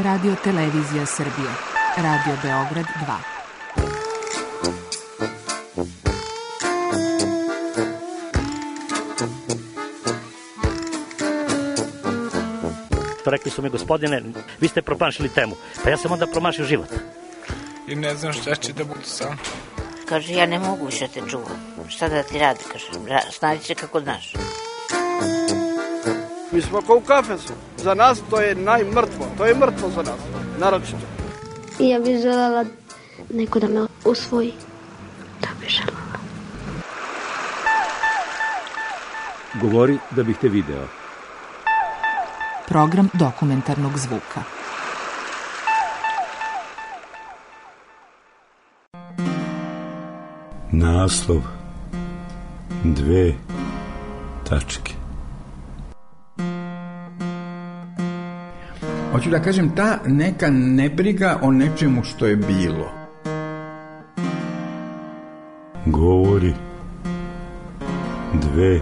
Radio Televizija Srbije. Radio Beograd 2. Rekli su mi, gospodine, vi ste promašili temu. Pa ja sam onda promašio život. I ne znam šta će da bude sam. Kaže, ja ne mogu više te čuvam. Šta da ti radi, kaže, snađi se kako znaš. Mi smo kao u kafesu. Za nas to je najmrtvo. To je mrtvo za nas, naročito. I ja bih želela neko da me usvoji. Da bih želela. Govori da bih te video. Program dokumentarnog zvuka. Naslov 2 tačke. Hoću da kažem, ta neka nebriga o nečemu što je bilo. Govori 2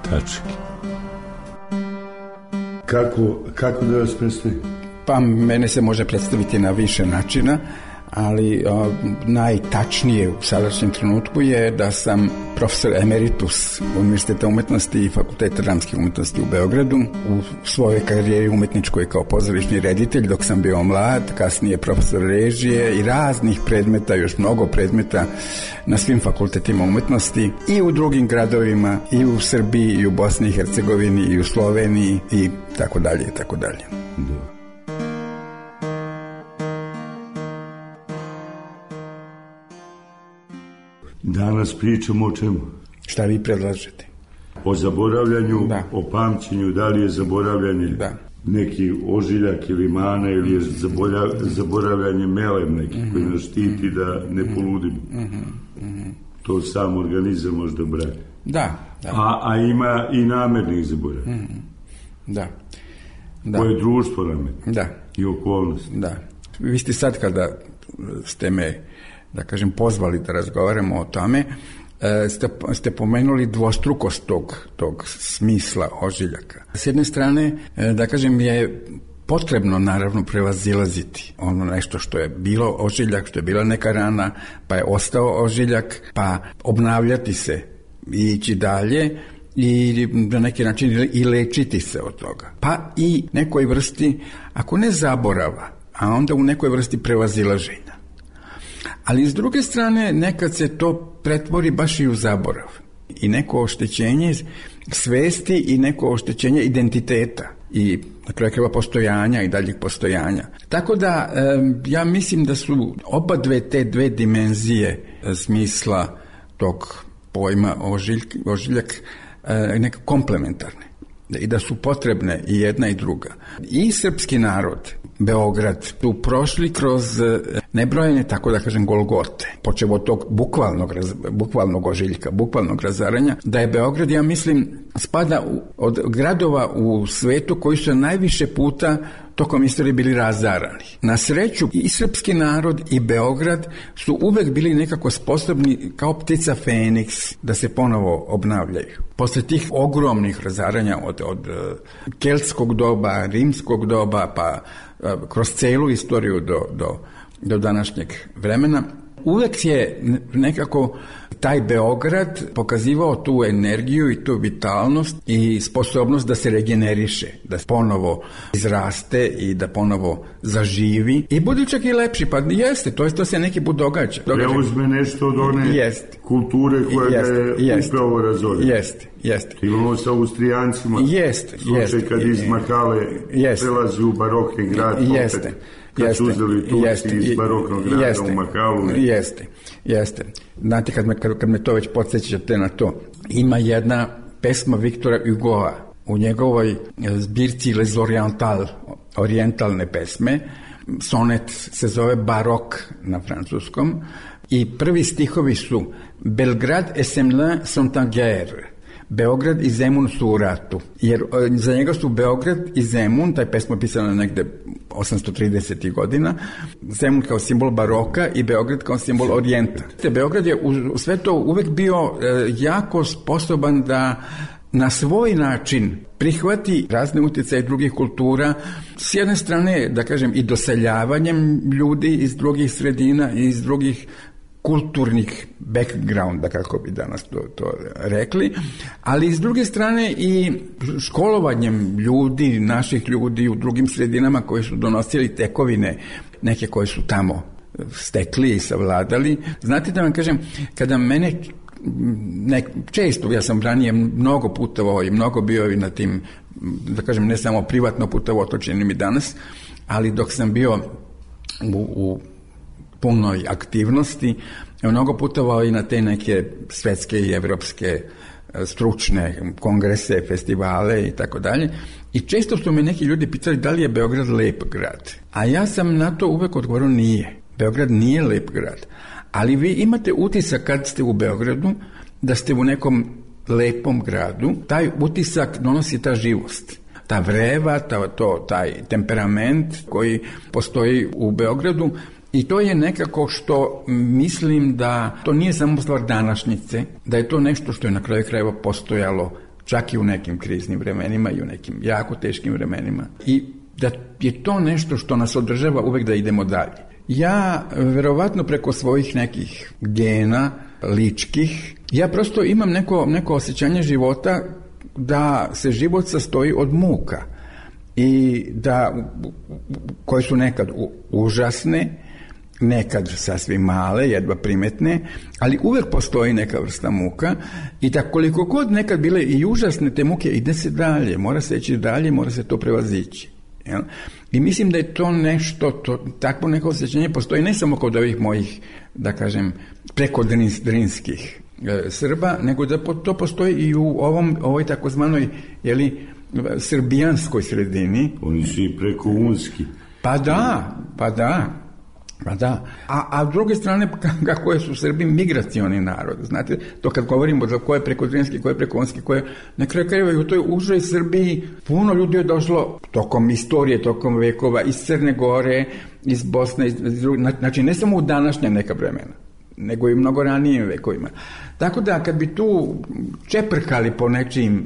tačke. Kako da vas predstavim? Pa mene se može predstaviti na više načina, ali najtačnije u sadašnjem trenutku je da sam profesor emeritus Univerziteta umetnosti i Fakulteta dramskih umetnosti u Beogradu. U svojoj karijeri umetničkoj kao pozorišni reditelj dok sam bio mlad, kasnije profesor režije i raznih predmeta, još mnogo predmeta na svim fakultetima umetnosti i u drugim gradovima, i u Srbiji, i u Bosni i Hercegovini, i u Sloveniji i tako dalje i tako dalje. Danas pričamo o čemu? Šta vi predlažete? O zaboravljanju, da. O pamćenju, da li je zaboravljanje neki ožiljak ili mana ili je zaboravljanje melem neki koji nas štiti da ne poludimo. To sam organizam možda brani. Da. A ima i namernih zaboravljanja. Da. Koje društvo namerno. Da. I okolnosti. Da. Vi ste sad kada ste me, da kažem, pozvali da razgovaramo o tome, ste pomenuli dvostrukost tog smisla ožiljaka. S jedne strane, da kažem, je potrebno naravno prevazilaziti ono nešto što je bilo ožiljak, što je bila neka rana, pa je ostao ožiljak, pa obnavljati se i ići dalje i na neki način i lečiti se od toga. Pa i nekoj vrsti, ako ne zaborava, a onda u nekoj vrsti prevazilaženja. Ali s druge strane, nekad se to pretvori baš i u zaborav. I neko oštećenje svesti i neko oštećenje identiteta i na kraju krajeva postojanja i daljih postojanja. Tako da ja mislim da su te dve dimenzije smisla tog pojma ožiljak neka komplementarne i da su potrebne i jedna i druga. I srpski narod, Beograd, su prošli kroz nebrojene, tako da kažem, golgote, počev od tog bukvalnog ožiljka, bukvalnog razaranja, da je Beograd, ja mislim, spada od gradova u svetu koji su najviše puta tokom istorije bili razarani. Na sreću i srpski narod i Beograd su uvek bili nekako sposobni kao ptica Feniks da se ponovo obnavljaju. Posle tih ogromnih razaranja od keltskog doba, rimskog doba, pa kroz celu istoriju do današnjeg vremena, uvek je nekako taj Beograd pokazivao tu energiju i tu vitalnost i sposobnost da se regeneriše, da ponovo izraste i da ponovo zaživi i bude čak i lepši, pa jeste, to se neki put događa. Preuzme nešto od one kulture koja je upravo razorila. Jeste. Imamo sa Austrijancima slučaj kad iz Makale prelazi u barokni grad, kad su uzeli Turci iz baroknog grada u Makalu. Jeste. Znate, kad me to već podsjećate na to, ima jedna pesma Viktora Hugoa u njegovoj zbirci Les Orientales, orijentalne pesme. Sonet se zove Barok na francuskom i prvi stihovi su: Belgrade et Semlin sont en guerre. Beograd i Zemun su u ratu, jer za njega su Beograd i Zemun, taj pesma je pisana negde 830. godina, Zemun kao simbol baroka i Beograd kao simbol orijenta. Beograd je u sve to uvek bio jako sposoban da na svoj način prihvati razne utjecaje drugih kultura, s jedne strane, da kažem, i doseljavanjem ljudi iz drugih sredina i iz drugih kulturnih backgrounda, kako bi danas to rekli, ali s druge strane i školovanjem ljudi, naših ljudi u drugim sredinama koji su donosili tekovine, neke koje su tamo stekli i savladali. Znate da vam kažem, kada mene često, ja sam ranije mnogo putovao i mnogo bio i na tim, da kažem, ne samo privatno putovao, to činim i danas, ali dok sam bio u punoj aktivnosti, mnogo putovao i na te neke svetske i evropske stručne kongrese, festivale i tako dalje. I često su me neki ljudi pitali da li je Beograd lep grad. A ja sam na to uvek odgovorio nije. Beograd nije lep grad. Ali vi imate utisak kad ste u Beogradu da ste u nekom lepom gradu. Taj utisak donosi ta živost, ta vreva, taj temperament koji postoji u Beogradu. I to je nekako što mislim da to nije samo stvar današnjice, da je to nešto što je na kraju krajeva postojalo čak i u nekim kriznim vremenima i u nekim jako teškim vremenima. I da je to nešto što nas održava uvek da idemo dalje. Ja, verovatno preko svojih nekih gena ličkih, ja prosto imam neko osjećanje života da se život sastoji od muka i da koje su nekad užasne, nekad sasvim male, jedva primetne, ali uvek postoji neka vrsta muka i da koliko god nekad bile i užasne te muke, ide se dalje, mora se ići dalje, mora se to prevazići. Jel? I mislim da je to nešto, takvo neko osjećanje postoji ne samo kod ovih mojih, da kažem, prekodrinskih Srba, nego da to postoji i u ovoj takozvanoj, srbijanskoj sredini. Oni su i preko unski. Pa da. A s druge strane, kako su Srbi migracioni narod. Znate, to kad govorimo za ko je prekodrinski, ko je prekonski, ko je na kraju krajeva i u toj užoj Srbiji puno ljudi je došlo tokom istorije, tokom vekova, iz Crne Gore, iz Bosne, znači ne samo u današnja neka vremena, nego i mnogo ranijim vekovima. Tako da kad bi tu čeprkali po nečijim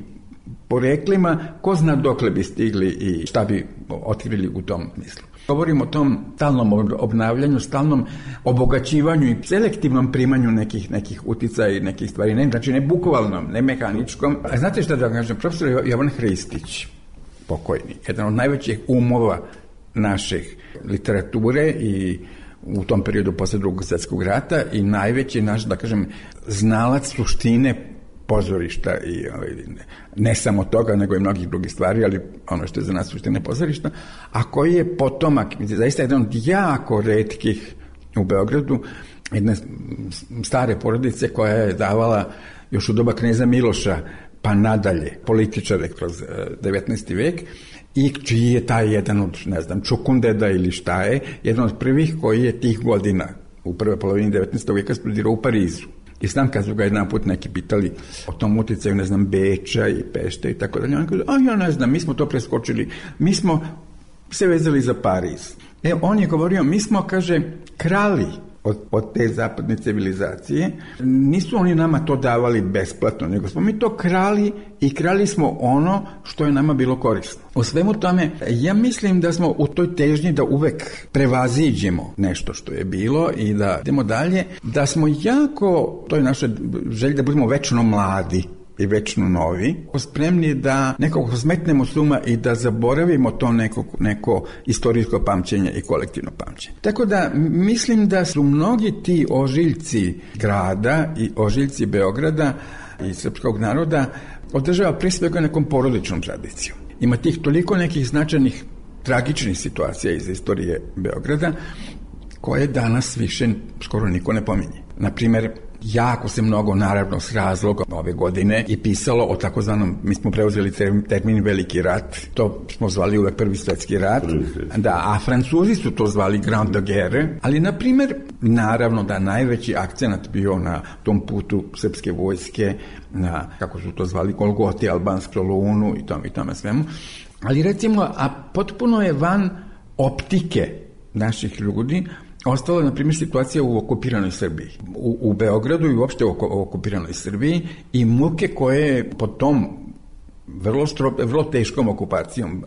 poreklima, ko zna dokle bi stigli i šta bi otkrili u tom smislu. Govorim o tom stalnom obnavljanju, stalnom obogaćivanju i selektivnom primanju nekih uticaja i nekih stvari. Znači ne bukvalnom, ne mehaničkom. A znate šta da kažem? Profesor Jovan Hristić, pokojni, jedan od najvećih umova naših literature i u tom periodu posle Drugog svjetskog rata i najveći naš, da kažem, znalac suštine pozorišta i ne samo toga, nego i mnogih drugih stvari, ali ono što je za nas suštine pozorišta, a koji je potomak, zaista jedan od jako retkih u Beogradu, jedne stare porodice koja je davala još u doba kneza Miloša pa nadalje političare kroz 19. vek i čiji je taj jedan od, ne znam, Čukundeda ili šta je, jedan od prvih koji je tih godina u prvoj polovini 19. veka studirao u Parizu. I znam kad su ga jedan put neki pitali o tom uticaju, ne znam, Beča i Pešte i tako dalje. On kaže, ja ne znam, mi smo to preskočili, mi smo se vezali za Pariz. On je govorio, mi smo, kaže, krali od te zapadne civilizacije. Nisu oni nama to davali besplatno, nego smo mi to krali i krali smo ono što je nama bilo korisno. U svemu tome, ja mislim da smo u toj težnji da uvek prevaziđemo nešto što je bilo i da idemo dalje, da smo jako, to je naša želja da budemo večno mladi i večno novi, spremni da nekako smetnemo s uma i da zaboravimo to neko istorijsko pamćenje i kolektivno pamćenje. Tako da mislim da su mnogi ti ožiljci grada i ožiljci Beograda i srpskog naroda održava pre svega nekom porodičnom tradicijom. Ima tih toliko nekih značajnih tragičnih situacija iz istorije Beograda koje danas više skoro niko ne pominje. Naprimer, jako se mnogo, naravno, s razlogom ove godine i pisalo o takozvanom, mi smo preuzeli termin Veliki rat, to smo zvali uvek Prvi svjetski rat, da, a Francuzi su to zvali Grande de Guerre, ali, na primjer, naravno da najveći akcenat bio na tom putu srpske vojske, na, kako su to zvali, Golgoti, Albansk, Solunu i tome svemu, ali recimo, a potpuno je van optike naših ljudi ostala, na primjer, situacija u okupiranoj Srbiji. U Beogradu i uopšte u okupiranoj Srbiji i muke koje po tom vrlo teškom okupacijom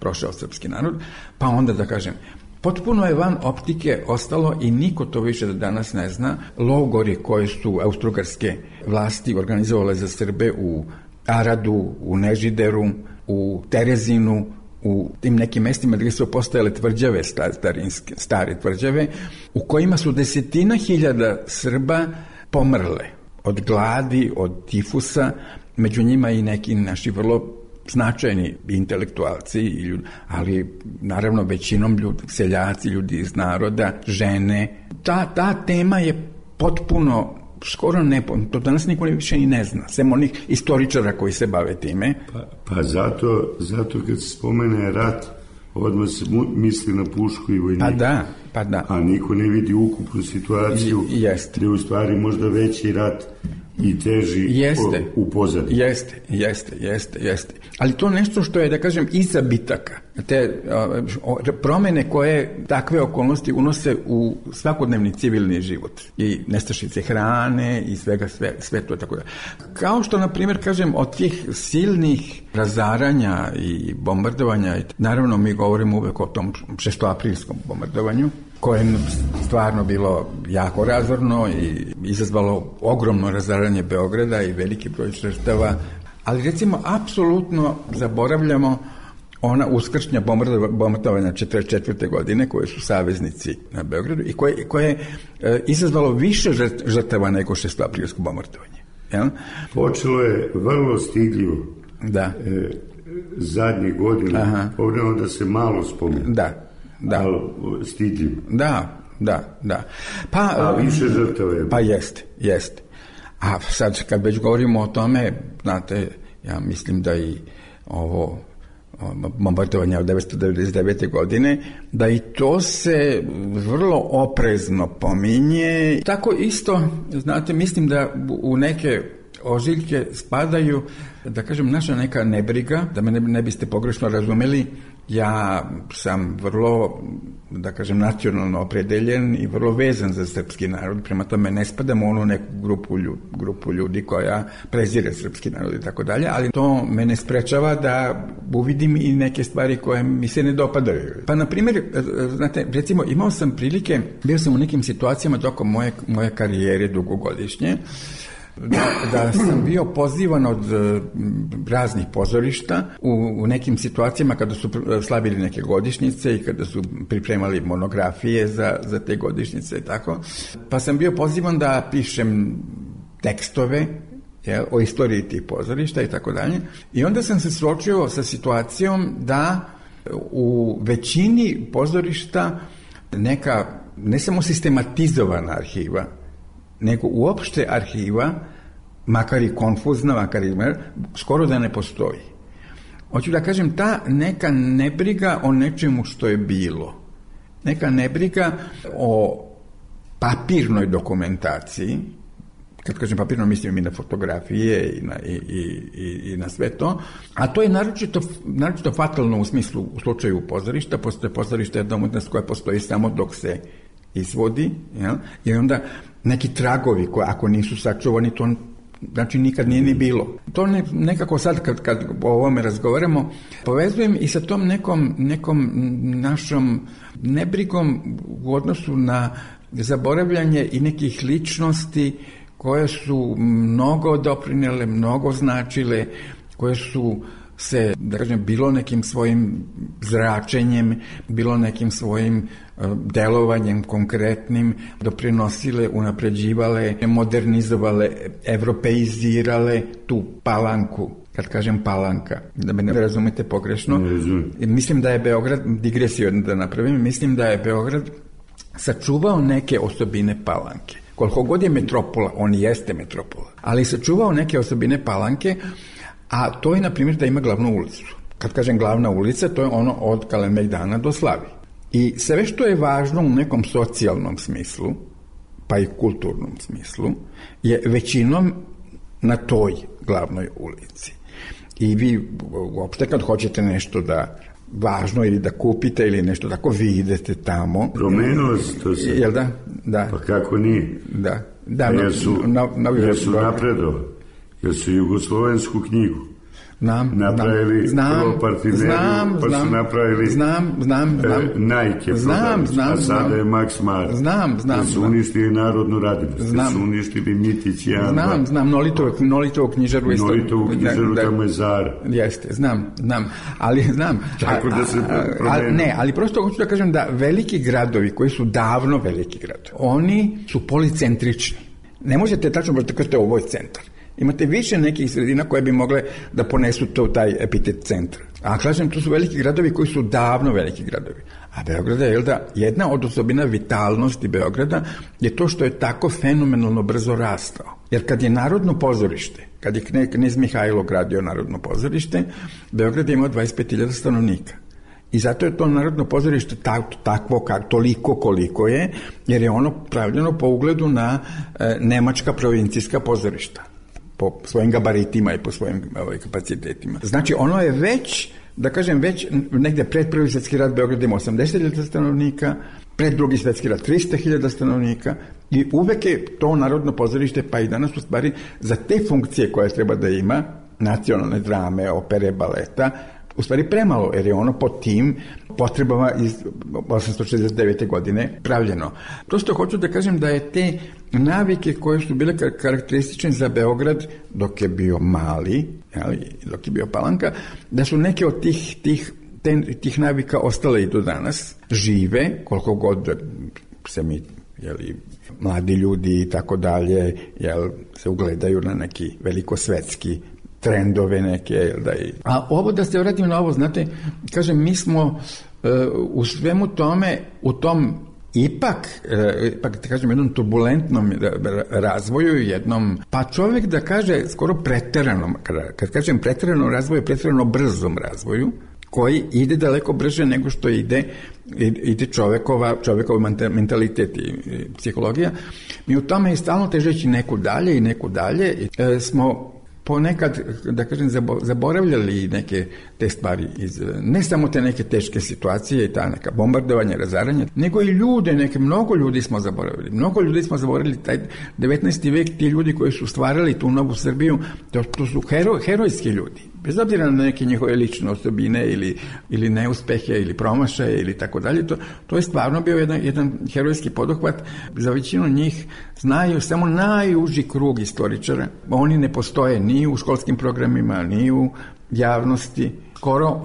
prošao srpski narod, pa onda da kažem, potpuno je van optike ostalo i niko to više do danas ne zna, logori koje su austrougarske vlasti organizovale za Srbe u Aradu, u Nežideru, u Terezinu, u tim nekim mestima gdje su postojale tvrđave, stare tvrđave, u kojima su 10.000 Srba pomrle od gladi, od tifusa, među njima i neki naši vrlo značajni intelektualci, ali naravno većinom seljaci, ljudi iz naroda, žene. Ta tema je potpuno skoro to danas niko više i ne zna, sem onih istoričara koji se bave time. Pa zato kad se spomene rat, odmah se misli na pušku i vojnika. Pa da. A niko ne vidi ukupnu situaciju, gdje u stvari možda veći rat i teži u pozadini. Jeste. Ali to nešto što je, da kažem, iza bitaka. Te promene koje takve okolnosti unose u svakodnevni civilni život. I nestašice hrane i sve to tako da. Kao što, na primjer, kažem, od tih silnih razaranja i bombardovanja, naravno mi govorimo uvek o tom 6. bombardovanju, koje je stvarno bilo jako razorno i izazvalo ogromno razaranje Beograda i veliki broj žrtava, ali recimo apsolutno zaboravljamo ona uskršnja bombardovanja 1944. godine koje su saveznici na Beogradu i koje je izazvalo više žrtava nego 6. bombardovanje. Ja? Počelo je vrlo stidljivo. Da. Zadnje godine, ovdje da se malo spomenu. Da. Ali stidljivo. Da. A više žrtava je. Pa jeste. A sad kad već govorimo o tome, znate, ja mislim da i ovo bombardovanje od 1999. godine, da i to se vrlo oprezno pominje. Tako isto, znate, mislim da u neke ožiljke spadaju, da kažem, naša neka nebriga, da me ne biste pogrešno razumeli, ja sam vrlo, da kažem, nacionalno opredeljen i vrlo vezan za srpski narod, prema tome ne spadam u onu neku grupu ljudi koja prezire srpski narod i tako dalje, ali to me ne sprečava da uvidim i neke stvari koje mi se ne dopadaju. Pa, na primjer, znate, recimo, imao sam prilike, bio sam u nekim situacijama tokom moje karijere dugogodišnje, da sam bio pozivan od raznih pozorišta u nekim situacijama kada su slavili neke godišnjice i kada su pripremali monografije za te godišnjice i tako. Pa sam bio pozivan da pišem tekstove o istoriji tih pozorišta i tako dalje. I onda sam se suočio sa situacijom da u većini pozorišta neka, ne samo sistematizovana arhiva, nego uopšte arhiva, makar i konfuzna, makar i skoro da ne postoji. Hoću da kažem, ta neka nebriga o nečemu što je bilo, neka nebriga o papirnoj dokumentaciji, kad kažem papirno mislim i na fotografije i na sve to, a to je naročito fatalno u smislu, u slučaju pozorišta. Postoje pozorišta jedna umetnost koja postoji samo dok se izvodi, i onda neki tragovi koji ako nisu sačuvani, to znači nikad nije ni bilo. To nekako sad kad o ovome razgovaramo, povezujem i sa tom nekom našom nebrigom u odnosu na zaboravljanje i nekih ličnosti koje su mnogo doprinele, mnogo značile, koje su se, da kažem, bilo nekim svojim zračenjem, bilo nekim svojim delovanjem konkretnim doprinosile, unapređivale, modernizovale, evropeizirale tu Palanku. Kad kažem Palanka, da me ne razumete pogrešno, mislim da je Beograd, digresiju da napravim, mislim da je Beograd sačuvao neke osobine Palanke. Koliko god je metropola, on jeste metropola, ali sačuvao neke osobine Palanke, a to je, na primjer, da ima glavnu ulicu. Kad kažem glavna ulica, to je ono od Kalemegdana do Slavi. I sve što je važno u nekom socijalnom smislu, pa i kulturnom smislu, je većinom na toj glavnoj ulici. I vi uopšte kad hoćete nešto da važno ili da kupite ili nešto tako, vi idete tamo. Promenilo se to se. Jel da? Da. Pa kako nije? Da. Jer su napredovali. Jer su jugoslovensku knjigu napravili prvo Parfimeriju, pa su napravili Nike prodavnicu, a sada je Max Mara. Da su uništili Narodnu radinost, da su uništili Mitić 1. Znam, Nolitovu knjižaru. Nolitovu knjižaru, tamo je Zara. Jeste, znam, ali znam. Tako da se promeni. Ali prosto hoću da kažem da veliki gradovi, koji su davno veliki gradovi, oni su policentrični. Ne možete tačno da kažete ovo je centar. Imate više nekih sredina koje bi mogle da ponesu taj epitet centra. A kažem, to su veliki gradovi koji su davno veliki gradovi. A Beograd je, jedna od osobina vitalnosti Beograda je to što je tako fenomenalno brzo rastao. Jer kad je Narodno pozorište, kad je knez Mihajlo gradio Narodno pozorište, Beograd je imao 25.000 stanovnika. I zato je to Narodno pozorište takvo toliko koliko je, jer je ono pravljeno po ugledu na nemačka provincijska pozorišta, po svojim gabaritima i po svojim kapacitetima. Znači, ono je već negde pred Prvi svjetski rat Beograd ima 80.000 stanovnika, pred Drugi svjetski rat 300.000 stanovnika i uvek je to Narodno pozorište, pa i danas u stvari, za te funkcije koje treba da ima, nacionalne drame, opere, baleta, u stvari premalo, jer je ono po tim potrebama iz 869. godine pravljeno. Prosto hoću da kažem da je te navike koje su bile karakteristične za Beograd dok je bio mali, dok je bio Palanka, da su neke od tih navika ostale i do danas, žive, koliko god se mi, mladi ljudi i tako dalje, se ugledaju na neki velikosvetski trendove neke. A ovo, da se vratim na ovo, znate, kažem, mi smo u svemu tome, u tom ipak kažem, jednom turbulentnom razvoju, jednom, pa čovjek da kaže skoro preteranom, kad kažem preteranom razvoju, preterano brzom razvoju, koji ide daleko brže nego što ide čovjekov mentalitet i psihologija. Mi u tome i stalno težeći neku dalje, smo ponekad, da kažem, zaboravljali neke te stvari, ne samo te neke teške situacije i ta neka bombardovanja, razaranja, nego i ljude, mnogo ljudi smo zaboravili. Mnogo ljudi smo zaboravili taj 19. vek, ti ljudi koji su stvarali tu novu Srbiju, to su herojski ljudi. Bez obzira na neke njihove lične osobine ili neuspehe ili promašaje ili tako dalje, to je stvarno bio jedan herojski poduhvat. Za većinu njih znaju samo najuži krug istoričara. Oni ne postoje ni u školskim programima, ni u javnosti. Skoro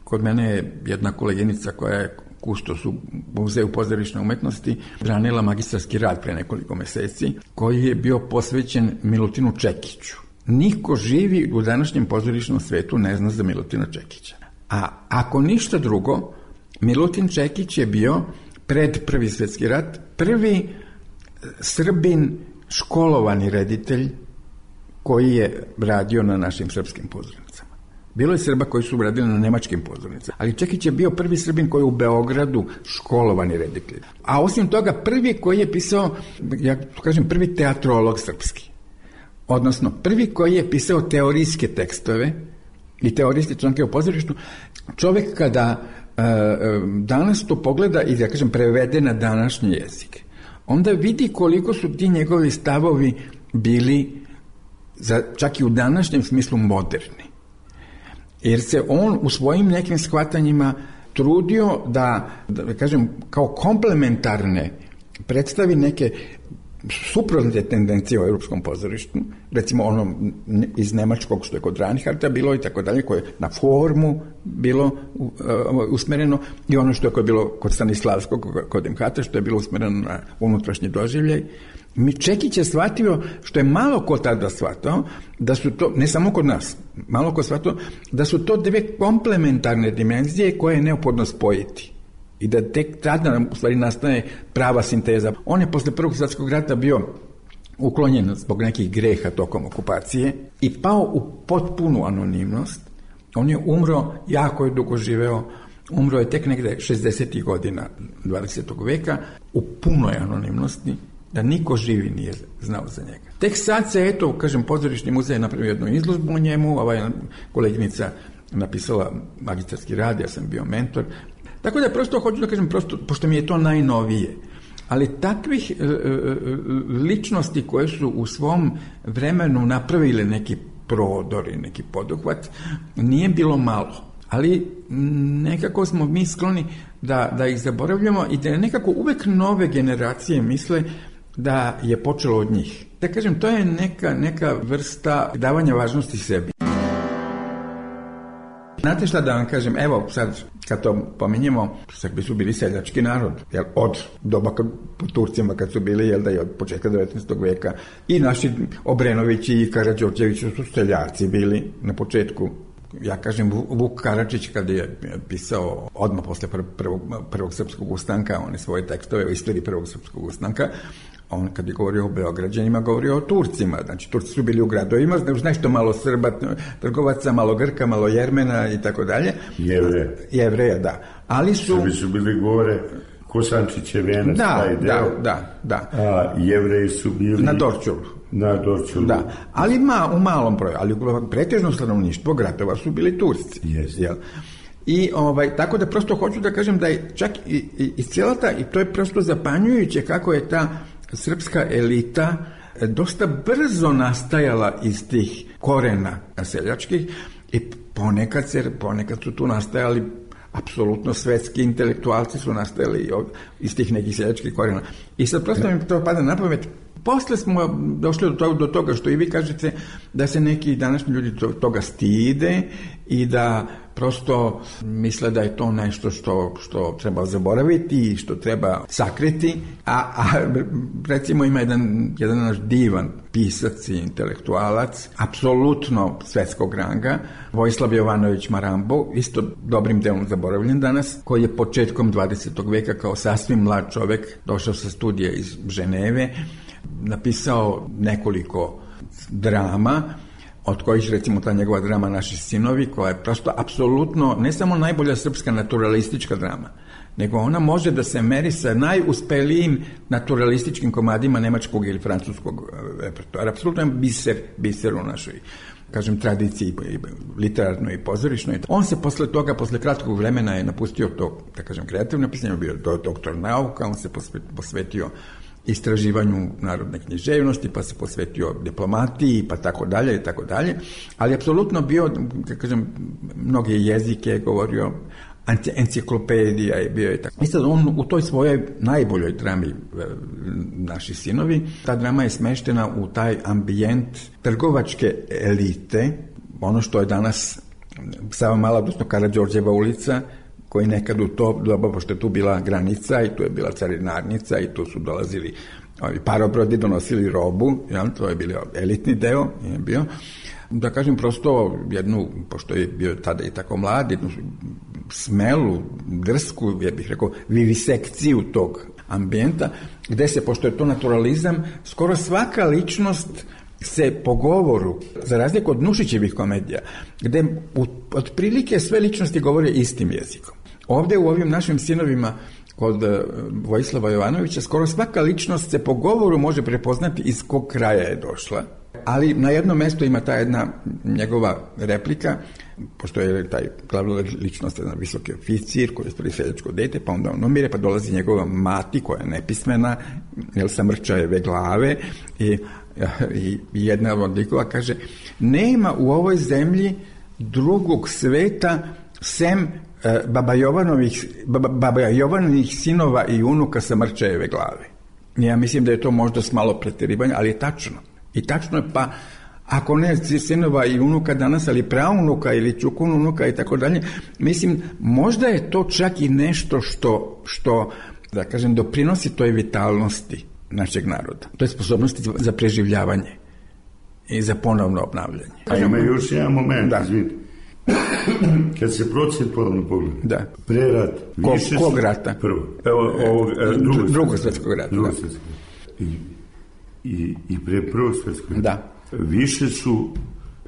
kod mene je jedna koleginica koja je kustos u Muzeju pozorišne umetnosti branila magistarski rad pre nekoliko meseci, koji je bio posvećen Milutinu Čekiću. Niko živi u današnjem pozorišnom svetu ne zna za Milutina Čekića. A ako ništa drugo, Milutin Čekić je bio pred Prvi svjetski rat prvi Srbin školovani reditelj koji je radio na našim srpskim pozornicama. Bilo je Srba koji su radili na nemačkim pozornicama, ali Čekić je bio prvi Srbin koji je u Beogradu školovani reditelj. A osim toga prvi koji je pisao, prvi teatrolog srpski. Odnosno, prvi koji je pisao teorijske tekstove i teorijske članke o pozorištu. Čovjek kada danas to pogleda i, prevede na današnji jezik, onda vidi koliko su ti njegovi stavovi bili čak i u današnjem smislu moderni. Jer se on u svojim nekim shvatanjima trudio da kao komplementarne predstavi neke suprotne tendencije u europskom pozorištu, recimo ono iz nemačkog što je kod Reinhardta bilo i tako dalje, koje je na formu bilo usmereno, i ono što je bilo kod Stanislavskog, kod MHT, što je bilo usmereno na unutrašnji doživljaj. Čekić je shvatio, što je malo ko tada shvatao, da su to, ne samo kod nas, malo ko shvatio, da su to dve komplementarne dimenzije koje je neophodno spojiti. I da tek tada u stvari nastaje prava sinteza. On je posle Prvog svjetskog rata bio uklonjen zbog nekih greha tokom okupacije i pao u potpunu anonimnost. On je umro, jako je dugo živeo, umro je tek negde 60. godina 20. veka u punoj anonimnosti, da niko živi nije znao za njega. Tek sad se, Pozorišni muzej je napravio jednu izložbu o njemu, koleginica napisala magistarski rad, ja sam bio mentor. Tako da prosto hoću da kažem, pošto mi je to najnovije, ali takvih ličnosti koje su u svom vremenu napravile neki prodor i neki poduhvat, nije bilo malo. Ali nekako smo mi skloni da ih zaboravljamo i da nekako uvek nove generacije misle da je počelo od njih. Da kažem, to je neka vrsta davanja važnosti sebi. Znate šta da vam kažem, evo sad kad to pominjemo, Srbi su bili seljački narod, jer od doba po Turcima kad su bili, jel da je od početka 19. veka, i naši Obrenovići i Karađorđevići su seljaci bili na početku. Ja kažem, Vuk Karadžić kad je pisao odmah posle prvog srpskog ustanka, one svoje tekstove o istoriji prvog srpskog ustanka, on kad je govorio o Beograđanima, govorio o Turcima. Znači, Turci su bili u gradovima, nešto malo Srba, trgovaca, malo Grka, malo Jermena i tako dalje. Jevreja, da. Ali Srbi su bili gore, Kosančiće venac, taj deo. Da. A Jevreji su bili... Na Dorčulu. Da, ali u malom broju, ali pretežno stanovništvo gradova su bili Turci. Yes. I tako da prosto hoću da kažem da je čak i cijela ta, i to je prosto zapanjujuće kako je ta srpska elita dosta brzo nastajala iz tih korena seljačkih i ponekad su tu nastajali apsolutno svetski intelektualci su nastajali iz tih nekih seljačkih korena. I sad prosto mi to pada na pamet. Posle smo došli do toga što i vi kažete da se neki današnji ljudi toga stide i da prosto misle da je to nešto što treba zaboraviti i što treba sakriti, a recimo ima jedan naš divan pisac i intelektualac, apsolutno svetskog ranga, Vojislav Jovanović Marambo, isto dobrim delom zaboravljen danas, koji je početkom 20. veka kao sasvim mlad čovek došao sa studija iz Ženeve, napisao nekoliko drama, od kojih recimo ta njegova drama Naši sinovi, koja je prosto apsolutno ne samo najbolja srpska naturalistička drama, nego ona može da se meri sa najuspelijim naturalističkim komadima nemačkog ili francuskog repertoara. Apsolutno je biser u našoj, kažem, tradiciji literarnoj i pozorišnoj. On se posle kratkog vremena je napustio to, da kažem, kreativno pisanje, bio doktor nauka, on se posvetio istraživanju narodne književnosti, pa se posvetio diplomatiji, pa tako dalje, ali apsolutno bio, da kažem, mnoge jezike govorio, enciklopedija je bio i tako. I sad on u toj svojoj najboljoj drami Naši sinovi, ta drama je smeštena u taj ambijent trgovačke elite, ono što je danas Savamala, odnosno Karađorđeva ulica, koji nekad u to doba, pošto je tu bila granica i tu je bila carinarnica i tu su dolazili parobrodi, donosili robu, to je bio elitni deo, je bio. Da kažem prosto pošto je bio tada i tako mlad, jednu smelu, drsku, ja bih rekao, vivisekciju tog ambijenta, gde se, pošto je to naturalizam, skoro svaka ličnost se po govoru, za razliku od Nušićevih komedija, gde otprilike sve ličnosti govore istim jezikom. Ovde u ovim Našim sinovima kod Vojislava Jovanovića skoro svaka ličnost se po govoru može prepoznati iz kog kraja je došla, ali na jednom mestu ima ta jedna njegova replika, pošto je taj glavna ličnost jedan visoki oficir koji je stvari seljačko dete, pa onda on umire, pa dolazi njegova mati koja je nepismena, sa mrčajeve glave i jedna od likova kaže: nema u ovoj zemlji drugog sveta sem Baba Jovanovih sinova i unuka sa mrčajeve glave. Ja mislim da je to možda s malo preterivanja, ali je tačno. I tačno je, pa ako ne sinova i unuka danas, ali praunuka ili čukununuka i tako dalje, mislim, možda je to čak i nešto što da kažem, doprinosi toj vitalnosti našeg naroda. To je sposobnosti za preživljavanje i za ponovno obnavljanje. A ima još jedan moment, izvini. Kad se procentualno pogleda, prerat, više kog rata? Prvo. Drugog svetskog rata. I pre prvog svetskog rata. Da.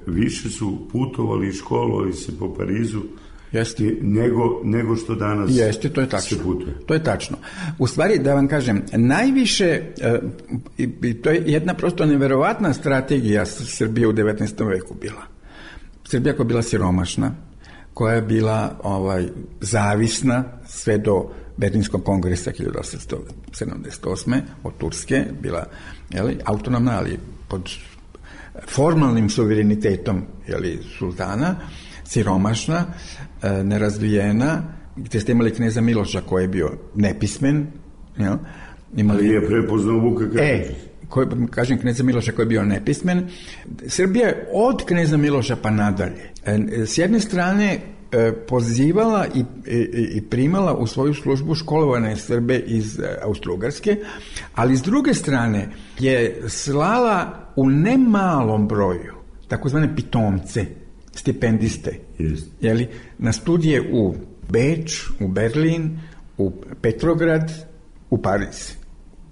Više su putovali i školovali se po Parizu nego što danas se putuje. To je tačno. U stvari, da vam kažem, najviše, to je jedna prosto neverovatna strategija Srbije u 19. veku bila. Srbija koja je bila siromašna, koja je bila zavisna sve do Berlinskog kongresa 1878. od Turske, bila autonomna, ali pod formalnim suverenitetom sultana, siromašna, nerazvijena, gdje ste imali kneza Miloša koji je bio nepismen. Ali je prepoznao Vuka Karadžića. Kažem kneza Miloša koji je bio nepismen. Srbija je od kneza Miloša pa nadalje. S jedne strane pozivala i primala u svoju službu školovane Srbe iz Austro-Ugarske, ali s druge strane je slala u nemalom broju takozvane pitomce, stipendiste, na studije u Beč, u Berlin, u Petrograd, u Pariz,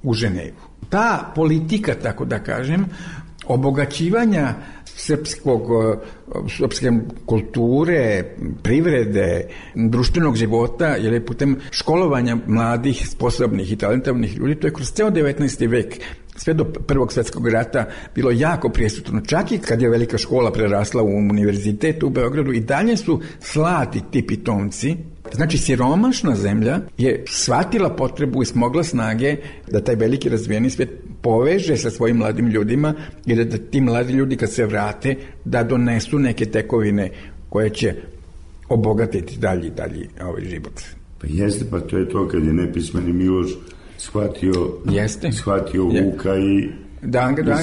u Ženevu. Ta politika, tako da kažem, obogaćivanja srpske kulture, privrede, društvenog života, jer je putem školovanja mladih, sposobnih i talentovnih ljudi, to je kroz ceo 19. vek, sve do Prvog svjetskog rata, bilo jako prisutno. Čak i kad je velika škola prerasla u univerzitet u Beogradu, i dalje su slati ti pitomci. Znači, siromašna zemlja je shvatila potrebu i smogla snage da taj veliki razvijeni svijet poveže sa svojim mladim ljudima i da ti mladi ljudi kad se vrate da donesu neke tekovine koje će obogatiti dalji život. Pa jeste, pa to je to kad je nepismeni Miloš shvatio Vuka i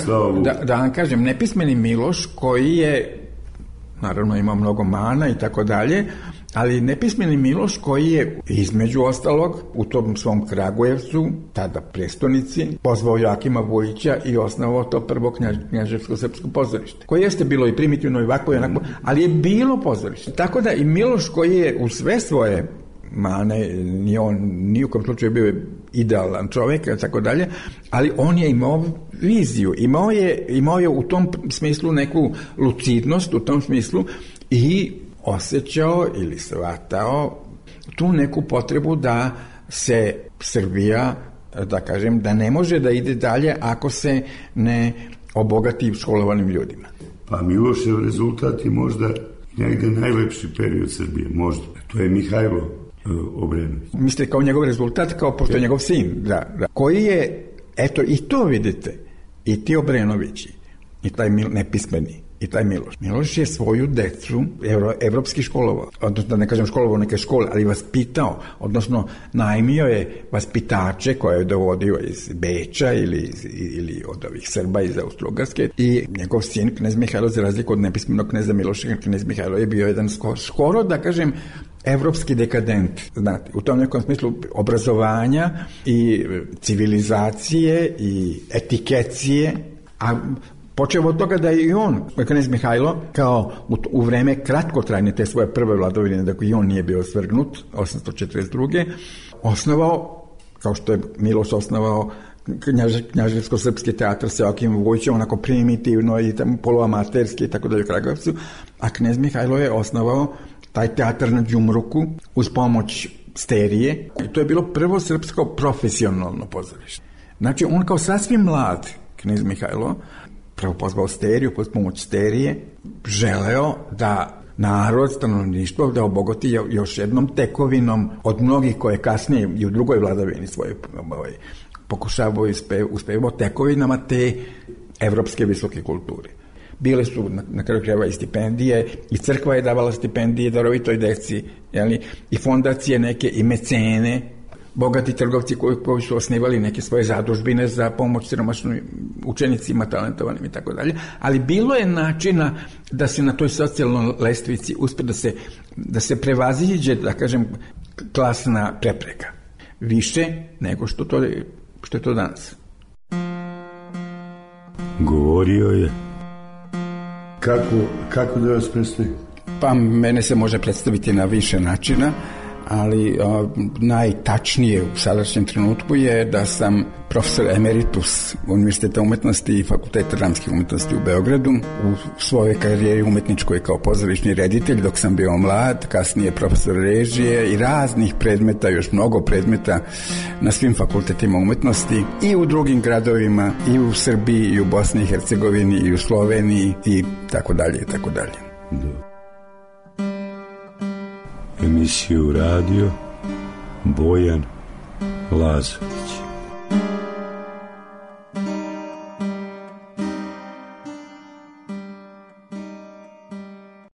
slao Vuka. Da vam kažem, nepismeni Miloš koji je, naravno ima mnogo mana i tako dalje, ali nepismeni Miloš koji je između ostalog u tom svom Kragujevcu, tada prestonici, pozvao Joakima Vujića i osnovao to prvo knjaževsko-srpsko pozorište, koje jeste bilo i primitivno i ovako i onako, ali je bilo pozorište. Tako da i Miloš koji je u sve svoje mane, ni u kom slučaju bio idealan čovjek i tako dalje, ali on je imao viziju, imao je u tom smislu neku lucidnost, u tom smislu, i osjećao ili shvatao tu neku potrebu da se Srbija, da kažem, da ne može da ide dalje ako se ne obogati školovanim ljudima. Pa Milošev rezultat je možda negde najlepši period Srbije, možda. To je Mihajlo Obrenović. Mislite kao njegov rezultat, kao pošto je njegov sin, da. Koji je, eto, i to vidite, i ti Obrenovići, i taj nepismeni, i taj Miloš. Miloš je svoju decu evropski školovao, odnosno da ne kažem školovao neke škole, ali vaspitao, odnosno najmio je vaspitače koje je dovodio iz Beča ili od ovih Srba iz Austro-Ugarske, i njegov sin, knez Mihajlo, za razliku od nepismenog kneza Miloša, knez Mihajlo je bio jedan skoro, da kažem, evropski dekadent, znate, u tom nekom smislu obrazovanja i civilizacije i etikecije, a počeo od toga da je i on, knez Mihajlo, kao u vreme kratkotrajne te svoje prve vladavine, da i on nije bio svrgnut, 842. osnovao, kao što je Miloš osnovao knjaževsko-srpski teatr sa Joakimom Vujićem, onako primitivno i poluamaterski i tako dalje u Kragujevcu, a knez Mihajlo je osnovao taj teatr na Đumruku uz pomoć Sterije, i to je bilo prvo srpsko profesionalno pozorište. Znači, on kao sasvim mlad knez Mihajlo prvo pozvao Steriju, pod pomoć Sterije, želeo da narod, stanovništvo, da obogati još jednom tekovinom od mnogih koje kasnije i u drugoj vladavini svoje pokušavao uspevao tekovinama te evropske visoke kulture. Bile su na kraju krajeva i stipendije, i crkva je davala stipendije darovitoj deci, i fondacije neke, i mecene, bogati trgovci koji su osnivali neke svoje zadužbine za pomoć siromašnim učenicima, talentovanim i tako dalje, ali bilo je načina da se na toj socijalnoj lestvici uspe da se prevaziđe, da kažem, klasna prepreka. Više nego što je to danas. Govorio je. Kako da vas predstavi? Pa mene se može predstaviti na više načina, ali najtačnije u sadašnjem trenutku je da sam profesor emeritus Univerziteta umetnosti i Fakulteta dramskih umetnosti u Beogradu. U svojoj karijeri umetničkoj kao pozorišni reditelj dok sam bio mlad, kasnije profesor režije i raznih predmeta, još mnogo predmeta na svim fakultetima umetnosti i u drugim gradovima, i u Srbiji, i u Bosni i Hercegovini, i u Sloveniji i tako dalje i tako dalje. Emisiju radio Bojan Lazović.